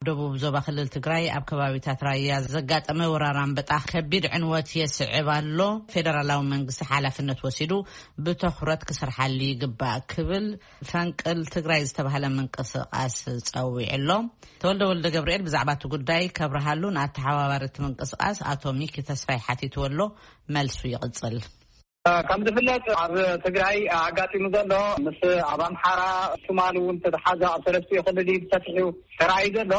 ደቡብ ዞባ ክልል ትግራይ ኣብ ከባቢታት ራያ ዘጋጠመ ወራር ኣንበጣ ከቢድ ዕንወት የስዕብ ኣሎ። ፌደራላዊ መንግስቲ ሓላፍነት ወሲዱ ብትኹረት ክሰርሓሉ ይግባእ ክብል ፈንቅል ትግራይ ዝተባህለ ምንቅስቃስ ጸዊዑ ኣሎ። ተወልደ ወልደ ገብርኤል ብዛዕባ እቲ ጉዳይ ከብርሃሉ ንኣተሓባባሪ እቲ ምንቅስቃስ ኣቶ ሚኪ ተስፋይ ሓቲትዎ ኣሎ። መልሱ ይቕጽል። ከም ዝፍለጥ ኣብ ትግራይ ኣጋጢሙ ዘሎ ምስ ኣብ ኣምሓራ ትማሊ እውን ዝተተሓዘ ኣብ ሰለስቲኡ ክልል እዩ ብሰፊሑ ተራእዩ ዘሎ።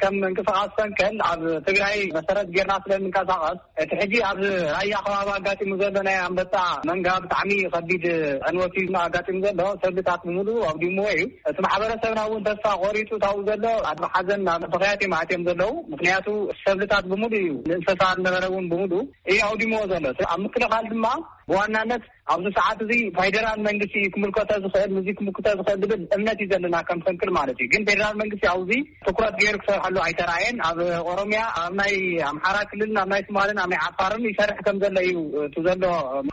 ከም ምንቅስቃስ ፈንቅል ኣብ ትግራይ መሰረት ጌርና ስለ እንንቀሳቀስ እቲ ሕጂ ኣብ ራያ ከባቢ ኣጋጢሙ ዘሎ ናይ ኣንበጣ መንጋ ብጣዕሚ ከቢድ ዕንወት እዩ ኣጋጢሙ ዘሎ። ሰብልታት ብምሉእ ኣውዲምዎ እዩ። እቲ ማሕበረሰብና እውን ተስፋ ቆሪጡ ታው ዘሎ ኣብ ሓዘን ናብ ብኽያት እዮም ኣትዮም ዘለዉ። ምክንያቱ ሰብልታት ብምሉእ እዩ፣ ንእንስሳ ዝነበረ እውን ብምሉእ እዩ ኣውዲምዎ ዘሎ። ኣብ ምክልኻል ድማ ብዋናነት ኣብዚ ሰዓት እዚ ፌደራል መንግስቲ እዩ ክምልከቶ ዝኽእል፣ ንዚ ክምልከቶ ዝኽእል ዝብል እምነት እዩ ዘለና ከም ፈንቅል ማለት እዩ። ግን ፌደራል መንግስቲ ኣብዚ ትኩረት ገይሩ ክሰርሐሉ ኣይተራእየን። ኣብ ኦሮሚያ፣ ኣብ ናይ ኣምሓራ ክልልን ኣብ ናይ ሶማልን ኣብ ናይ ዓፋርን ይሰርሕ ከም ዘሎ እዩ እቲ ዘሎ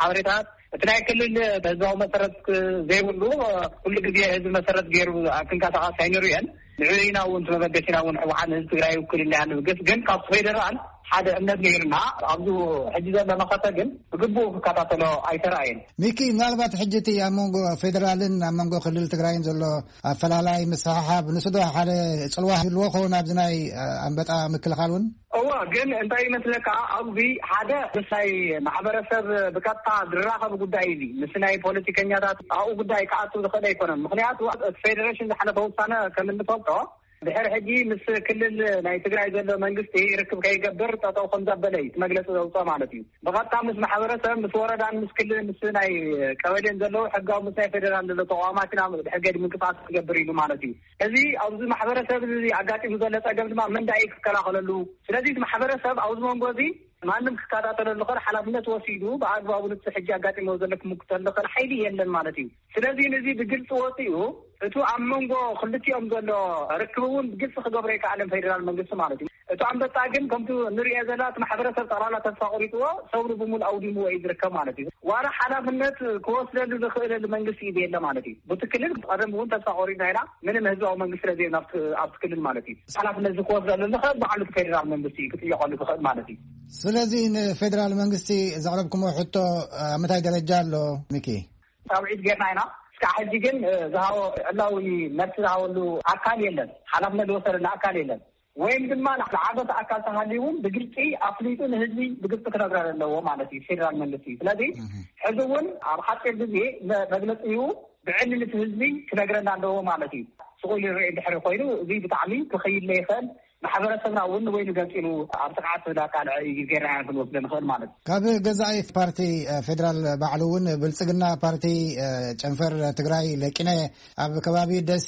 ሓበሬታት። እቲ ናይ ክልል ህዝባዊ መሰረት ዘይብሉ ኩሉ ግዜ ህዝቢ መሰረት ገይሩ ክንቀሳቀስ ኣይንርእየን። ንዕኡ ኢና እውን እቲ መበገሲና እውን ህወሓት ንህዝቢ ትግራይ ውክልና እያ ንብገስ። ግን ካብ ፌደራል ሓደ እምነት ነይርና ኣብዚ ሕጂ ዘሎ መኸተ ግን ብግቡእ ክከታተሎ ኣይተራእየን። ሚኪ፣ ምናልባት ሕጂ እቲ ኣብ መንጎ ፌደራልን ኣብ መንጎ ክልል ትግራይን ዘሎ ኣፈላላይ ምስሕሓብ ንሱ ዶ ሓደ ጽልዋ ይህልዎ ኸውን ኣብዚ ናይ ኣንበጣ ምክልኻል እውን? እወ፣ ግን እንታይ ይመስለካ፣ ኣብዚ ሓደ ምስ ናይ ማሕበረሰብ ብቀጥታ ዝራኸብ ጉዳይ እዩ። ምስ ናይ ፖለቲከኛታት ኣብኡ ጉዳይ ክኣቱ ዝኽእል ኣይኮነን። ምክንያቱ እቲ ፌደሬሽን ዝሓለፈ ውሳነ ከም እንፈልጦ ድሕሪ ሕጂ ምስ ክልል ናይ ትግራይ ዘሎ መንግስቲ ርክብ ከይገብር ጠጠው ከም ዘበለ እዩ እቲ መግለፂ ዘውፅኦ ማለት እዩ። ብቐጥታ ምስ ማሕበረሰብ፣ ምስ ወረዳን ምስ ክልል፣ ምስ ናይ ቀበሌን ዘለዉ ሕጋዊ፣ ምስ ናይ ፌደራል ዘሎ ተቋማት ኢና ድሕር ገዲ ምንቅስቃስ ክገብር ኢሉ ማለት እዩ። እዚ ኣብዚ ማሕበረሰብ እዚ ኣጋጢሙ ዘሎ ፀገም ድማ መን ዳኣ እዩ ክከላኸለሉ? ስለዚ እቲ ማሕበረሰብ ኣብዚ መንጎ እዚ ማንም ክከታተለሉ ዝኽእል ሓላፍነት ወሲዱ ብኣግባቡ ንቲ ሕጂ ኣጋጢሞ ዘሎ ክምክተሉ ዝኽእል ሓይሊ የለን ማለት እዩ። ስለዚ ነዚ ብግልፂ ወፂኡ እቱ ኣብ መንጎ ክልቲኦም ዘሎ ርክብ እውን ብግልፂ ክገብሮ ይከኣለን ፌደራል መንግስቲ ማለት እዩ። እቱ ኣንበጣ ግን ከምቲ ንሪኦ ዘለና እቲ ማሕበረሰብ ጠቕላላ ተስፋ ቆሪጥዎ ሰብሩ ብምሉእ ኣውዲምዎ እዩ ዝርከብ ማለት እዩ። ዋላ ሓላፍነት ክወስደሉ ዝኽእለሉ መንግስቲ እዩ ዘየለ ማለት እዩ። ብቲ ክልል ቀደም እውን ተስፋ ቆሪጥና ኢና፣ ምንም ህዝባዊ መንግስቲ ስለ ዘየለ ኣብቲ ክልል ማለት እዩ። ሓላፍነት እዚ ክወስደሉ ዝኽእል ባዕሉ እቲ ፌደራል መንግስቲ እዩ ክጥየቀሉ ዝኽእል ማለት እዩ። ስለዚ ንፌደራል መንግስቲ ዘቕረብኩሞ ሕቶ ኣብ ምንታይ ደረጃ ኣሎ ሚኪ? ፃውዒት ጌርና ኢና። እስካዕ ሕጂ ግን ዝሃቦ ዕላዊ መልሲ ዝሃበሉ ኣካል የለን። ሓላፍነት ዝወሰደሉ ኣካል የለን። ወይም ድማ ዝዓበሰ ኣካል ተሃልዩ እውን ብግልፂ ኣፍሊጡ ንህዝቢ ብግልፂ ክነግረሉ ኣለዎ ማለት እዩ ፌደራል መንግስቲ። ስለዚ ሕዚ እውን ኣብ ሓፂር ግዜ መግለፂ እዩ ብዕሊ ንቲ ህዝቢ ክነግረና ኣለዎ ማለት እዩ። ስቑል ይርእ ድሕሪ ኮይኑ እዚ ብጣዕሚ ክኸይድ ለይኽእል፣ ማሕበረሰብና እውን ወይ ንገፂሉ ኣብ ስርዓት ዳቃልዐ እዩ ጌርና ክንወስደ ንኽእል ማለት እዩ። ካብ ገዛኢ ፓርቲ ፌደራል ባዕሉ እውን ብልፅግና ፓርቲ ጨንፈር ትግራይ ለቂነ ኣብ ከባቢ ደሴ፣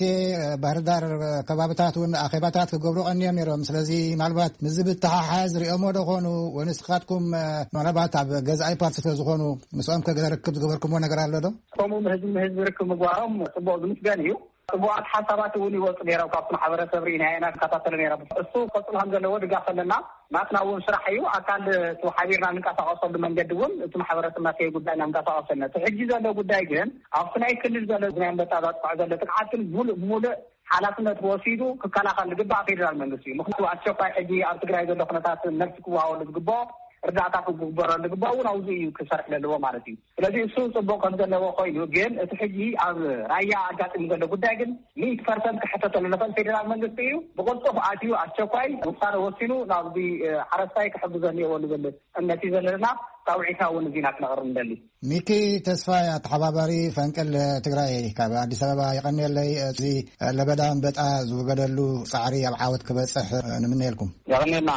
ባህርዳር ከባብታት እውን ኣኼባታት ክገብሩ ቀንዮም ነይሮም። ስለዚ ምናልባት ምዚ ብተሓሓዝ ሪኦሞ ዶ ኾኑ ወይ ንስኻትኩም ምናልባት ኣብ ገዛኢ ፓርቲ ስለ ዝኾኑ ምስኦም ከገለ ርክብ ዝገበርኩሞ ነገር ኣሎ ዶ? ከምኡ ንህዝቢ ንህዝቢ ርክብ ምግባሮም ፅቡቅ ዝምስገን እዩ። ፅቡቃት ሓሳባት እውን ይወፁ ነይሮም ካብቲ ማሕበረሰብ ርኢና ኢና ንከታተሎ ነይሮም። እሱ ክቀፅሉ ከም ዘለዎ ድጋፍ ኣለና። ናትና እውን ስራሕ እዩ። ኣካል እቲ ሓቢርና እንንቀሳቀሰሉ መንገዲ እውን እቲ ማሕበረሰብና ከይጉዳእና እንቀሳቀሰልና። እቲ ሕጂ ዘሎ ጉዳይ ግን ኣብቲ ናይ ክልል ዘሎ ናይ ኣንበጣ ዘጥቅዖ ዘሎ ጥቅዓትን ሙሉእ ብሙሉእ ሓላፍነት ወሲዱ ክከላኸል ዝግባእ ፌደራል መንግስቲ እዩ። ምክንያቱ ኣስቸኳይ ሕጂ ኣብ ትግራይ ዘሎ ኩነታት መልሲ ክወሃበሉ ዝግባኦ፣ እርዳእታ ክግበረሉ ዝግባኦ እውን ኣብዚ እዩ ክሰርሕ ዘለዎ ማለት እዩ። ስለዚ እሱ ፅቡቅ ከም ዘለዎ ኮይኑ ግን እቲ ሕጂ ኣብ ራያ ኣጋጢሙ ዘሎ ጉዳይ ግን ሚእቲ ፐርሰንት ክሕተተሉ ዝኽእል ፌደራል መንግስቲ እዩ። ብቅልጡፍ ኣትዩ ኣስቸኳይ ውሳነ ወሲኑ ናብዚ ሓረስታይ ክሕግዞ እኒኦዎ ዝብል እምነት እዩ ዘለና። ፃውዒትና እውን እዚና ክነቕርብ ንደሊ። ሚኪ ተስፋይ ኣተሓባባሪ ፈንቅል ትግራይ ካብ ኣዲስ ኣበባ የቐንየለይ። እዚ ለበዳ ኣንበጣ ዝውገደሉ ፃዕሪ ኣብ ዓወት ክበፅሕ ንምነየልኩም። የቐንየልና።